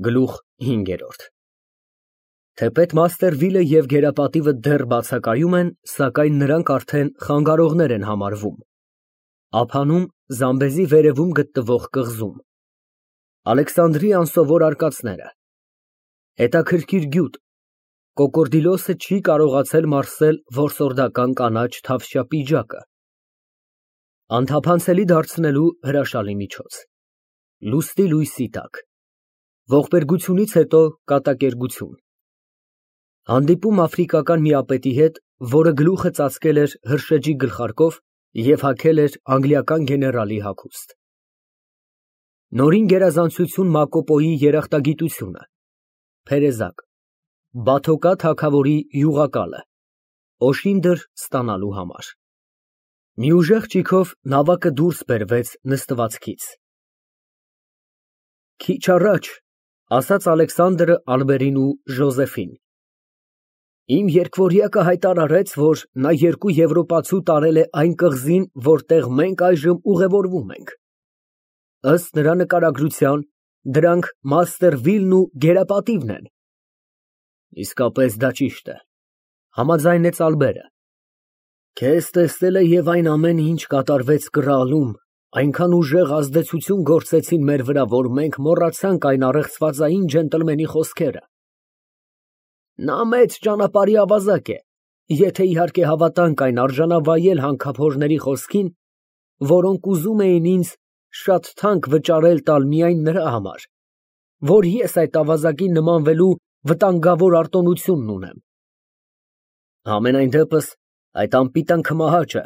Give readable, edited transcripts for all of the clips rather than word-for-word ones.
Գլուխ 5 Թեպետ Մաստերվիլը և գերապատիվը դեռ բացակայում են, սակայն նրանք արդեն խանգարողներ են համարվում։ Ափանում, Զամբեզի վերևում գտնվող կղզում։ Ալեքսանդրի անսովոր արկածները։ Հետաքրքիր գյուտ։ Կոկորդիլոսը չի կարողացել մարսել որսորդական կանաչ թավշյա պիջակը։ Անթափանցելի դարձնելու հրաշալի միջոց։ Լուսնի լույսի տակ։ Ողբերգությունից հետո կատակերգություն։ Հանդիպում աֆրիկական միապետի հետ, որը գլուխը ծածկել էր հրշեջի գլխարկով և հագել էր անգլիական գեներալի հագուստ։ Նորին գերազանցություն Մակոպոյի երախտագիտությունը։ Փերեզակ։ Բաթոկա թագավորի յուղակալը։ Օշինդր ստանալու համար։ Մի ուժեղ ճիգով նավակը դուրս բերվեց նստվածքից։ Քիչ առաջ, ասաց Ալեքսանդրը Ալբերին ու Ժոզեֆին, իմ երկվորյակը հայտարարեց, որ նա երկու եվրոպացու տարել է այն կղզին, որտեղ մենք այժմ ուղևորվում ենք։ Ըստ նրա նկարագրության, դրանք Մաստերվիլն ու գերապատիվն են։ Իսկապես դա ճիշտ է, համաձայնեց Ալբերը։ Քեզ տեսել է և այն ամենը, ինչ կատարվեց կռալում, այնքան ուժեղ ազդեցություն գործեցին մեր վրա, որ մենք մոռացանք այն առեղծվածային ջենտլմենի խոսքերը։ Նա մեծ ճանապարհի ավազակ է, եթե իհարկե հավատանք այն արժանավայել հանքափորների խոսքին, որոնք ուզում էին ինձ շատ թանկ վճարել տալ միայն նրա համար, որ ես այդ ավազակին նմանվելու վտանգավոր արտոնությունն ունեմ։ Համենայն դեպս, այդ անպիտան քմահաճը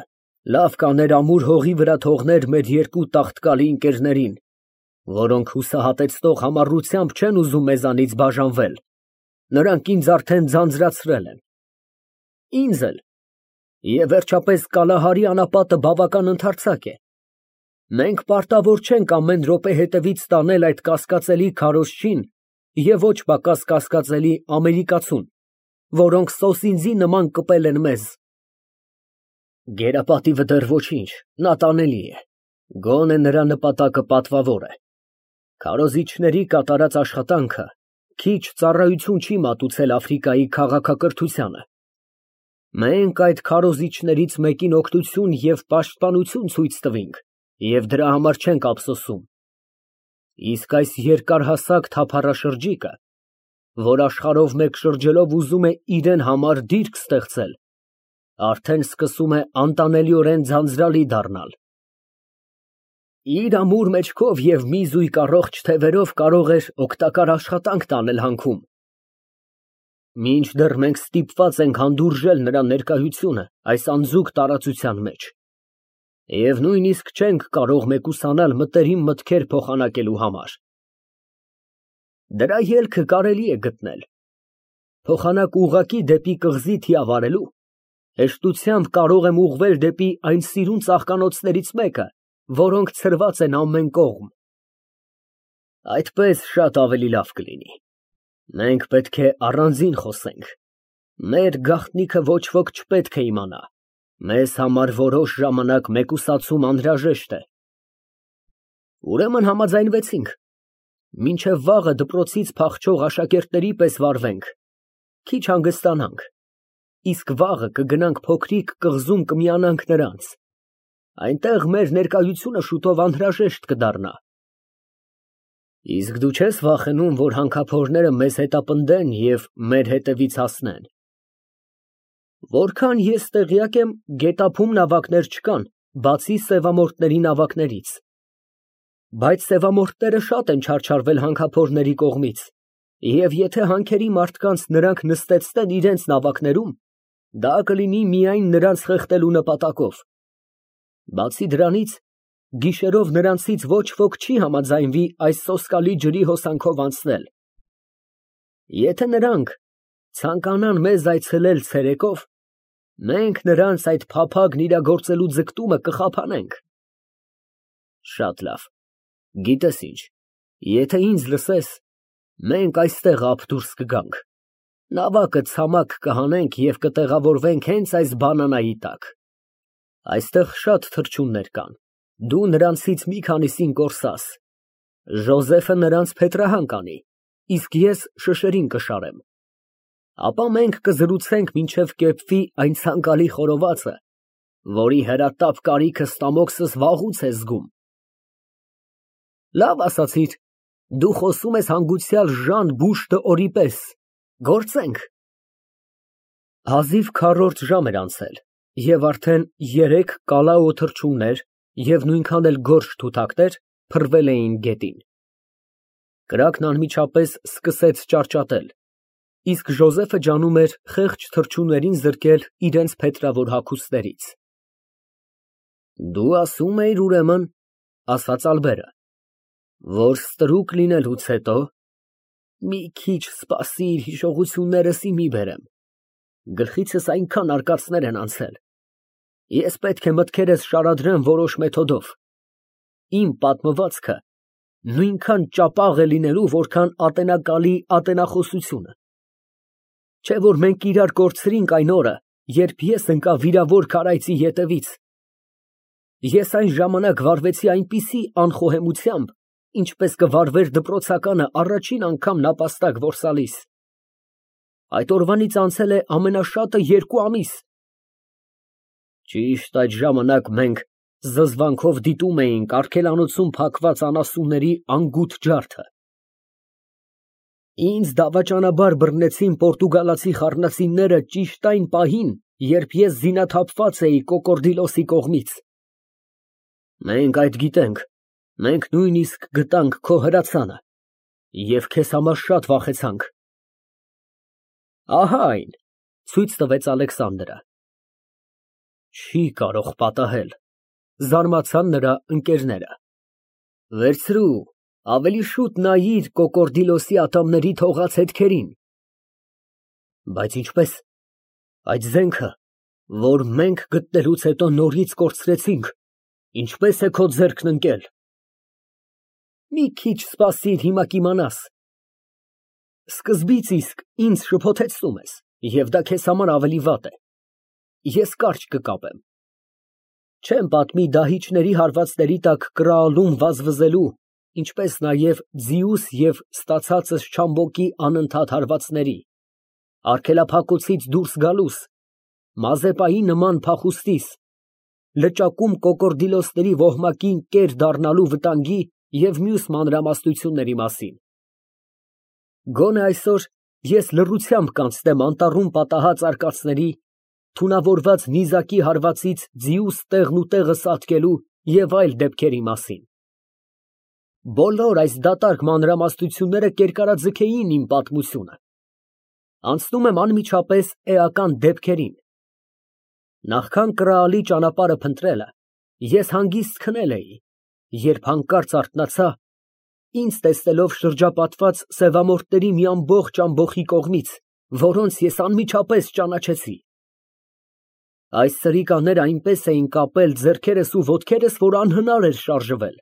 լավ կաներ ամուր հողի վրա թողներ մեր երկու տաղտկալի ընկերներին, որոնք հուսահատեցնող համառությամբ չեն ուզում մեզանից բաժանվել, նրանք ինձ արդեն ձանձրացրել են։ Ինձ էլ։ Եվ վերջապես Կալահարի անապատը բավական ընդարձակ է։ Մենք պարտավոր չենք ամեն րոպե հետևից տանել այդ կասկածելի քարոզչին և ոչ պակաս կասկածելի ամերիկացուն, որոնք սոսինձի նման կպել են մեզ։ Գերապատիվը դեռ ոչինչ, նա տանելի է, գոնե նրա նպատակը պատվավոր է։ Քարոզիչների կատարած աշխատանքը քիչ ծառայություն չի մատուցել Աֆրիկայի քաղաքակրթությանը։ Մենք այդ քարոզիչներից մեկին օգնություն և պաշտպանություն ցույց տվինք և դրա համար չենք ափսոսում։ Իսկ այս երկարհասակ թափառաշրջիկը, որ աշխարհով մեկ շրջելով ուզում է իրան համար դիրք ստեղծել, արդեն սկսում է անտանելիորեն ձանձրալի դառնալ։ Իր ամուր մեջքով և մի զույգ առողջ թևերով կարող էր օգտակար աշխատանք տանել հանքում։ Մինչդեռ մենք ստիպված ենք հանդուրժել նրա ներկայությունը այս անձուկ տարածության մեջ և նույնիսկ չենք կարող մեկուսանալ մտերիմ մտքեր փոխանակելու համար։ Դրա ելքը կարելի է գտնել։ Փոխանակ ուղղակի դեպի կղզի թիավարելու, հեշտությամբ կարող եմ ուղղվել դեպի այն սիրուն ծաղկանոցներից մեկը, որոնք ցրված են ամեն կողմ։ Այդպես շատ ավելի լավ կլինի։ Մենք պետք է առանձին խոսենք։ Մեր գաղտնիքը ոչ ոք չպետք է իմանա։ Մեզ համար որոշ ժամանակ մեկուսացում անհրաժեշտ է։ Ուրեմն համաձայնվեցինք։ Մինչև վաղը դպրոցից փախչող աշակերտների պես վարվենք, քիչ հանգստանանք, իսկ վաղը կգնանք փոքրիկ կղզում կմիանանք նրանց։ Այնտեղ մեր ներկայությունը շուտով անհրաժեշտ կդառնա։ Իսկ դու չես վախենում, որ հանքափորները մեզ հետապնդեն և մեր հետևից հասնեն։ Որքան ես տեղյակ եմ, գետափում նավակներ չկան, բացի սևամորթների նավակներից։ Բայց սևամորթները շատ են չարչարվել հանքափորների կողմից, և եթե հանքերի մարդկանց նրանք նստեցնեն իրենց նավակներում, դա կլինի միայն նրանց խեղդելու նպատակով։ Բացի դրանից, գիշերով նրանցից ոչ ոք չի համաձայնվի այս սոսկալի ջրի հոսանքով անցնել։ Եթե նրանք ցանկանան մեզ այցելել ցերեկով, մենք նրանց այդ փափագն իրագործելու ձգտումը կխափանենք։ Շատ լավ, գիտես ինչ, եթե ինձ լսես, մենք այստեղ ափ դուրս կգանք, նավակը ցամաք կհանենք և կտեղավորվենք հենց այս բանանայի տակ։ Այստեղ շատ թռչուններ կան, դու նրանցից մի քանիսին կորսաս, Ժոզեֆը նրանց փետրահան կանի, իսկ ես շշերին կշարեմ։ Ապա մենք կզրուցենք մինչև կեպվի այն ցանկալի խորովածը, որի հրատապ կարիքը ստամոքսս վաղուց է զգում։ Լավ ասացիր, դու խոսում ես հանգուցյալ Ժան Բուշ-դ'Օրի պես, գործենք։ Հազիվ քառորդ ժամ էր անցել, և արդեն 3 կալաո թռչուններ և նույնքան էլ գորշ թութակներ փռվել էին գետին։ Կրակն անմիջապես սկսեց ճարճատել, իսկ Ժոզեֆը ջանում էր խեղճ թռչուններին զրկել իրենց փետրավոր հագուստներից։ Դու ասում էիր, ուրեմն, ասաց Ալբերը, որ ստրուկ լինելուց հետո մի քիչ սպասիր, հիշողություններս ի մի բերեմ, գլխիցս այնքան արկածներ են անցել, ես պետք է մտքերս շարադրեմ որոշ մեթոդով, իմ պատմվածքը նույնքան ճապաղ է լինելու, որքան ատենակալի ատենախոսությունը, չէ՞ որ մենք իրար կորցրինք այն օրը, երբ ես ընկա վիրավոր քարայծի ետևից, ես այն ժամանակ վարվեցի այնպիսի անխոհեմությամբ, ինչպես կվարվեր դպրոցականը առաջին անգամ նապաստակ որսալիս։ Այդ օրվանից անցել է ամենաշատը 2 ամիս։ Ճիշտ այդ ժամանակ մենք զզվանքով դիտում էինք արգելանոցում փակված անասունների անգութ ջարդը։ Ինձ դավաճանաբար բռնեցին պորտուգալացի խառնածինները ճիշտ այն պահին, երբ ես զինաթափված էի Կոկորդիլոսի կողմից։ Մենք այդ գիտենք, մենք նույնիսկ գտանք քո հրացանը և քեզ համար շատ վախեցանք։ Ահա այն, ցույց տվեց Ալեքսանդրը։ Չի կարող պատահել, զարմացան նրա ընկերները։ Վերցրու, ավելի շուտ նայիր Կոկորդիլոսի ատամների թողած հետքերին։ Բայց ինչպես, այդ զենքը, որ մենք գտնելուց հետո նորից կորցրեցինք, ինչպես է քո ձեռքն ընկել։ Մի քիչ սպասիր, հիմա կիմանաս։ Սկզբից իսկ ինձ շփոթեցնում ես, և դա քեզ համար ավելի վատ է։ Ես կարճ կկապեմ։ Չեմ պատմի դահիճների հարվածների տակ կրալում վազվզելու, ինչպես նաև ձիուս և ստացածս Չամբոկի անընդհատ հարվածների, արգելափակոցից դուրս գալուս, Մազեպայի նման փախուստիս, լճակում Կոկորդիլոսների ոհմակին կեր դառնալու վտանգի և մյուս մանրամասնությունների մասին։ Գոնե այսօր ես լռությամբ կանցնեմ անտառում պատահած արկածների, թունավորված նիզակի հարվածից ձիուս տեղն ու տեղը սատկելու և այլ դեպքերի մասին։ Բոլոր այս դատարկ մանրամասնությունները կերկարաձգեին իմ պատմությունը։ Անցնում եմ անմիջապես էական դեպքերին։ Նախքան կրալի ճանապարհը փնտրելը, ես հանգիստ քնել էի, երբ հանկարծ արթնացա, ինձ տեսնելով շրջապատված սևամորթների մի ամբողջ ամբոխի կողմից, որոնց ես անմիջապես ճանաչեցի։ Այս սրիկաները այնպես էին կապել ձեռքերս ու ոտքերս, որ անհնար էր շարժվել։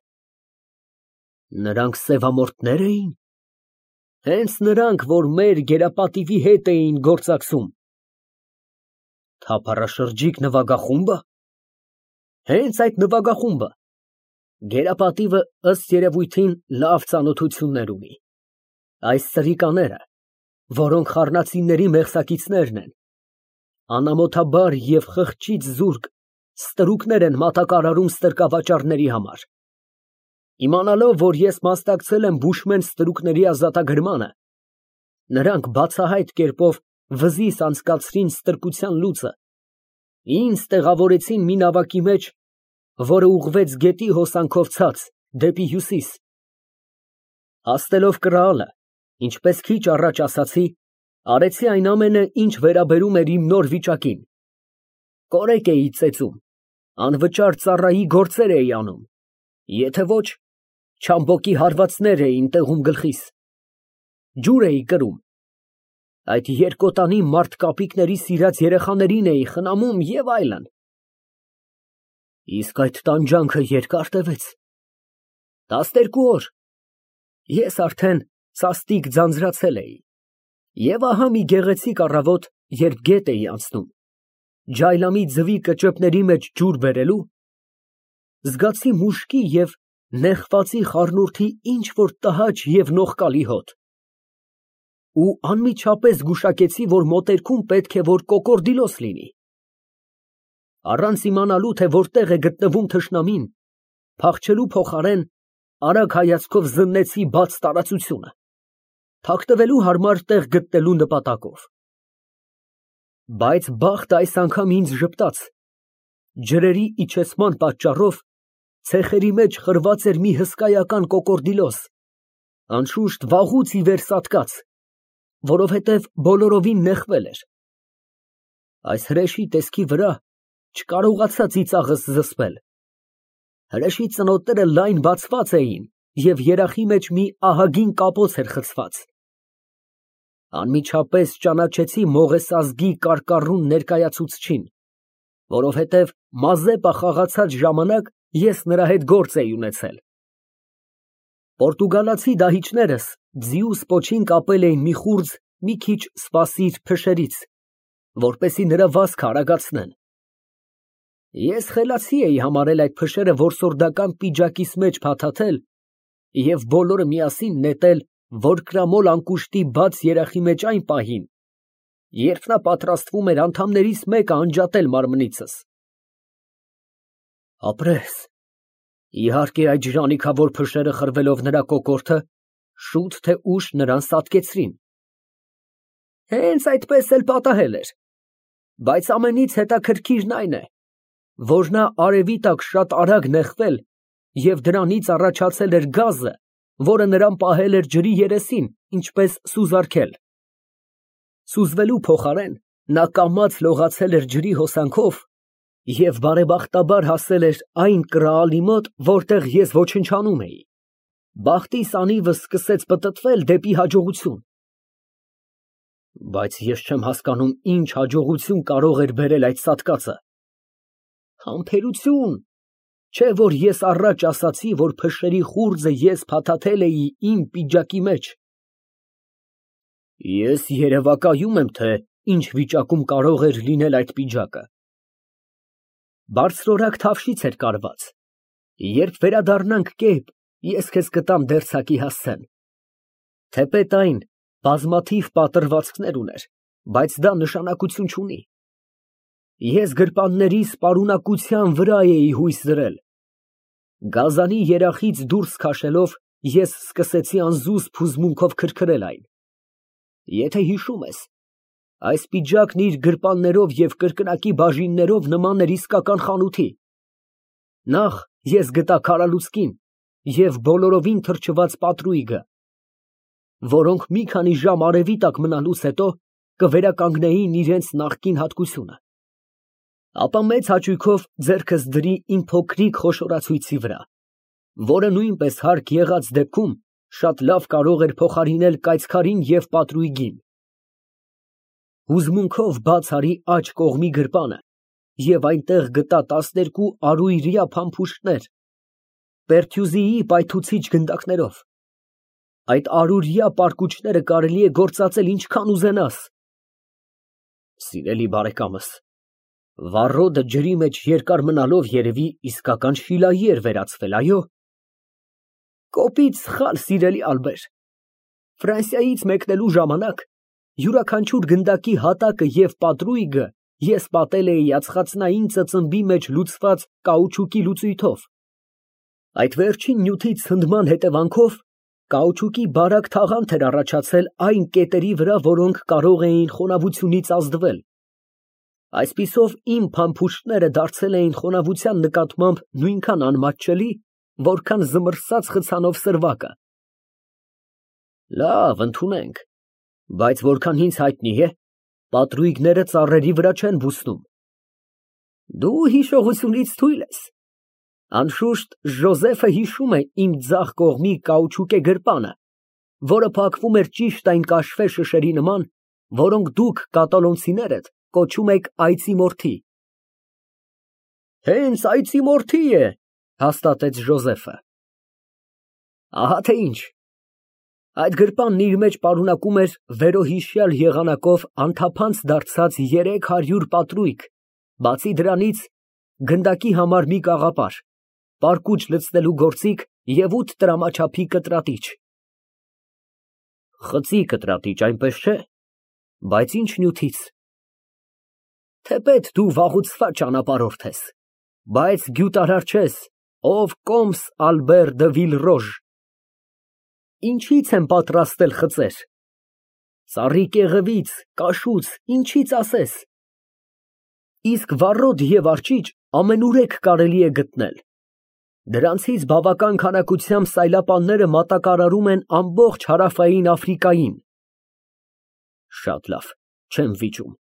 Նրանք սևամորթնե՞ր էին։ Հենց նրանք, որ մեր գերապատիվի հետ էին գործակցում։ Թափառաշրջիկ նվագախումբը։ Հենց այդ նվագախումբը։ Գերապատիվը ըստ երևույթին լավ ծանոթություններ ունի։ Այս սրիկաները, որոնք խառնածինների մեղսակիցներն են, անամոթաբար և խղճից զուրկ ստրուկներ են մատակարարում ստրկավաճառների համար։ Իմանալով, որ ես մասնակցել եմ բուշմեն ստրուկների ազատագրմանը, նրանք բացահայտ կերպով վզիս անցկացրին ստրկության լուծը, ինձ տեղավորեցին մի նավակի մեջ, որը ուղղվեց գետի հոսանքով ցած, դեպի հյուսիս։ Հասնելով կրալը, ինչպես քիչ առաջ ասացի, արեցի այն ամենը, ինչ վերաբերում էր իմ նոր վիճակին։ Կորեկ էի ծեծում, անվճար ծառայի գործեր էի անում, եթե ոչ, Չամբոկի հարվածներ էին տեղում գլխիս, ջուր էի կրում, այդ երկոտանի մարդկապիկների սիրած երեխաներին էի խնամում և այլն։ Իսկ այդ տանջանքը երկա՞ր տևեց։ 12 օր։ Ես արդեն սաստիկ ձանձրացել էի։ Եվ ահա մի գեղեցիկ առավոտ, երբ գետ էի անցնում, ջայլամի ձվի կճեպների մեջ ջուր բերելու, զգացի մուշկի և նեխվածի խառնուրդի ինչ֊որ տհաճ և նողկալի հոտ։ ու անմիջապես զգուշակեցի, որ մոտերքում պետք է որ կոկորդիլոս լինի։ Առանց իմանալու, թե որտեղ է գտնվում թշնամին, փախչելու փոխարեն արագ հայացքով զննեցի բաց տարածությունը, թաքնվելու հարմար տեղ գտնելու նպատակով։ Բայց բախտը այս անգամ ինձ ժպտաց։ Ջրերի իջեցման պատճառով ցեխերի մեջ խրված էր մի հսկայական կոկորդիլոս, անշուշտ վաղուց ի վեր սատկած, որովհետև բոլորովին նեղվել էր։ Այս հրեշի տեսքի վրա չկարողացա ծիծաղս զսպել։ Հրեշի ծնոտները լայն բացված էին և երախի մեջ մի ահագին կապոց էր խցված։ Անմիջապես ճանաչեցի Մողես ազգի կարկառուն ներկայացուցչին, որովհետև Մազեպա խաղացած ժամանակ ես նրա հետ գործ էի ունեցել։ Պորտուգալացի դահիճներս ձիուս պոչին կապել էին մի խուրձ մի քիչ սպասիր փշերից, որպեսզի նրա վազքը արագացնեն։ Ես խելացի էի համարել այդ փշերը որսորդական պիջակիս մեջ փաթաթել և բոլորը միասին նետել որկրամոլ անկուշտի բաց երախի մեջ այն պահին, երբ նա պատրաստվում էր անդամներից մեկը անջատել մարմնիցս։ Ապրես, իհարկե այդ ժանիքավոր փշերը խրվելով նրա կոկորդը, շուտ թե ուշ նրան սատկեցրին։ Հենց այդպես էլ պատահել էր, բայց ամենից հետաքրքիրն այն է, որ նա արևի տակ շատ արագ նեղվել և դրանից առաջացել էր գազը, որը նրան պահել էր ջրի երեսին, ինչպես սուզարքել։ Սուզվելու փոխարեն նա կամաց լողացել էր ջրի հոսանքով և բարեբախտաբար հասել էր այն կրալի մոտ, որտեղ ես ոչնչանում էի։ Բախտիս անիվս սկսեց պտտվել դեպի հաջողություն։ Բայց ես չեմ հասկանում, ինչ հաջողություն կարող էր բերել այդ սատկածը։ Համբերություն, չէ՞ որ ես առաջ ասացի, որ փշերի խուրձը ես փաթաթել էի իմ պիջակի մեջ։ Ես երևակայում եմ, թե ինչ վիճակում կարող էր լինել այդ պիջակը։ Բարձրորակ թավշից էր կարված։ Երբ վերադառնանք կերպ, ես քեզ կտամ դերձակի հասցեն։ Թեպետ այն բազմաթիվ պատրվածքներ ուներ, բայց դա նշանակություն չունի։ Ես գրպաններիս պարունակության վրա էի հույս դրել։ Գազանի երախից դուրս քաշելով, ես սկսեցի անզուսպ հուզմունքով քրքրել այն։ Եթե հիշում ես, այս պիջակն իր գրպաններով և կրկնակի բաժիններով նման էր իսկական խանութի։ Նախ ես գտա քարալուսկին և բոլորովին թրջված պատրույգը, որոնք մի քանի ժամ արևի տակ մնալուց հետո կվերականգնեին իրենց նախկին հատկությունը։ Ապա մեծ հաճույքով ձեռքս դրի իմ փոքրիկ խոշորացույցի վրա, որը նույնպես հարկ եղած դեպքում շատ լավ կարող էր փոխարինել կայծքարին և պատրույգին։ Հուզմունքով բաց արի աջ կողմի գրպանը և այնտեղ գտա 12 առուйրյա փամփուշտներ, պերթյուզիի պայթուցիչ գնդակներով։ Այդ առուրյա պարկուճները կարելի է գործածել ինչքան ուզենաս։ Սիրելի բարեկամս, վառոդը ջրի մեջ երկար մնալով երևի իսկական շիլայի էր վերածվել, այո։ Կոպիտ սխալ, սիրելի Ալբեր։ Ֆրանսիայից մեկնելու ժամանակ յուրաքանչյուր գնդակի հատակը և պատրույգը ես պատել էի ածխածնային ծծմբի մեջ լուծված կաուչուկի լուծույթով։ Այդ վերջին նյութի ցնդման հետևանքով կաուչուկի բարակ թաղանթ էր առաջացել այն կետերի վրա, որոնք կարող էին խոնավությունից ազդվել։ Այսպիսով իմ փամփուշտները դարձել էին խոնավության նկատմամբ նույնքան անմատչելի, որքան զմռսած խցանով սրվակը։ Լավ, ընդունենք, բայց որքան ինձ հայտնի է, պատրույգները ծառերի վրա չեն բուսնում։ Դու հիշողությունից թույլ ես։ Անշուշտ Ժոզեֆը հիշում է իմ ձախ կողմի կաուչուկե գրպանը, որը փակվում էր ճիշտ այն կաշվե շշերի նման, որոնք դուք կատալոնցիներդ կոչում եք այծի մորթի։ Հենց այծի մորթի է, հաստատեց Ժոզեֆը։ Ահա թե ինչ։ Այդ գրպանն իր մեջ պարունակում էր վերոհիշյալ եղանակով անթափանց դարձած 300 պատրույգ, բացի դրանից գնդակի համար մի կաղապար, պարկուճ լցնելու գործիք և 8 տրամաչափի կտրատիչ։ Խցի կտրատիչ, այնպես չէ։ Բայց ինչ նյութից։ Թեպետ դու վաղուցված ճանապարհորդ ես, բայց գյուտարար չես, ով կոմս Ալբեր դը Վիլռոժ։ Ինչից եմ պատրաստել խծեր։ Ծառի կեղևից, կաշուց, ինչից ասես։ Իսկ վառոդ և արճիճ ամենուրեք կարելի է գտնել։ Դրանցից բավական քանակությամբ սայլապանները մատակարարում են ամբողջ հարավային Աֆրիկային։ Շատ լավ, չեմ վիճում։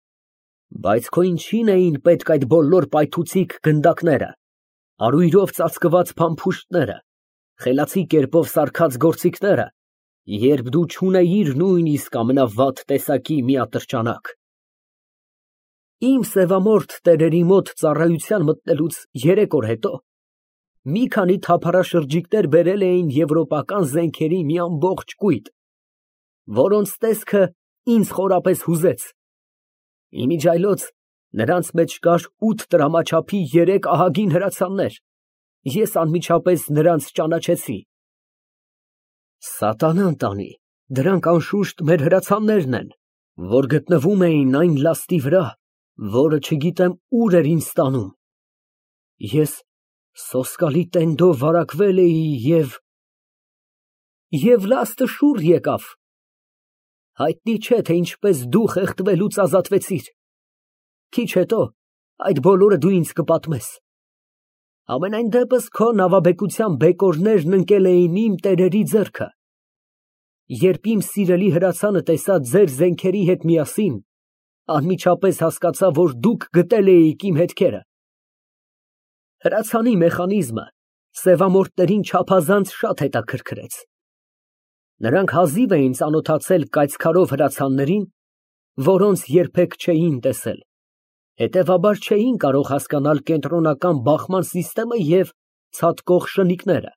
Բայց քո ինչին էին պետք այդ բոլոր պայթուցիկ գնդակները, արույրով ծածկված փամփուշտները, խելացի կերպով սարքած գործիքները, երբ դու չունեիր նույնիսկ ամենավատ տեսակի մի ատրճանակ։ Իմ սևամորթ տերերի մոտ ծառայության մտնելուց 3 օր հետո մի քանի թափառաշրջիկներ բերել էին եվրոպական զենքերի մի ամբողջ կույտ, որոնց տեսքը ինձ խորապես հուզեց։ Իմիջիայլոց նրանց մեջ կար 8 տրամաչափի 3 ահագին հրացաններ։ Ես անմիջապես նրանց ճանաչեցի։ Սատանան տանի, դրանք անշուշտ մեր հրացաններն են, որ գտնվում էին այն լաստի վրա, որը չգիտեմ ուր էր ինձ տանում։ Ես սոսկալի տենդով վարակվել էի և լաստը շուռ եկավ։ Հայտնի չէ, թե ինչպես դու խեղդվելուց ազատվեցիր։ Քիչ հետո այդ բոլորը դու ինձ կպատմես։ Համենայն դեպս քո նավաբեկության բեկորներն ընկել էին իմ տերերի ձեռքը։ Երբ իմ սիրելի հրացանը տեսա ձեր զենքերի հետ միասին, անմիջապես հասկացա, որ դուք գտել էիք իմ հետքերը։ Հրացանի մեխանիզմը սևամորթներին չափազանց շատ հետաքրքրեց։ Նրանք հազիվ էին ծանոթացել կայծքարով հրացաններին, որոնց երբեք չէին տեսել, հետևաբար չէին կարող հասկանալ կենտրոնական բախման սիստեմը և ցատկող շնիկները։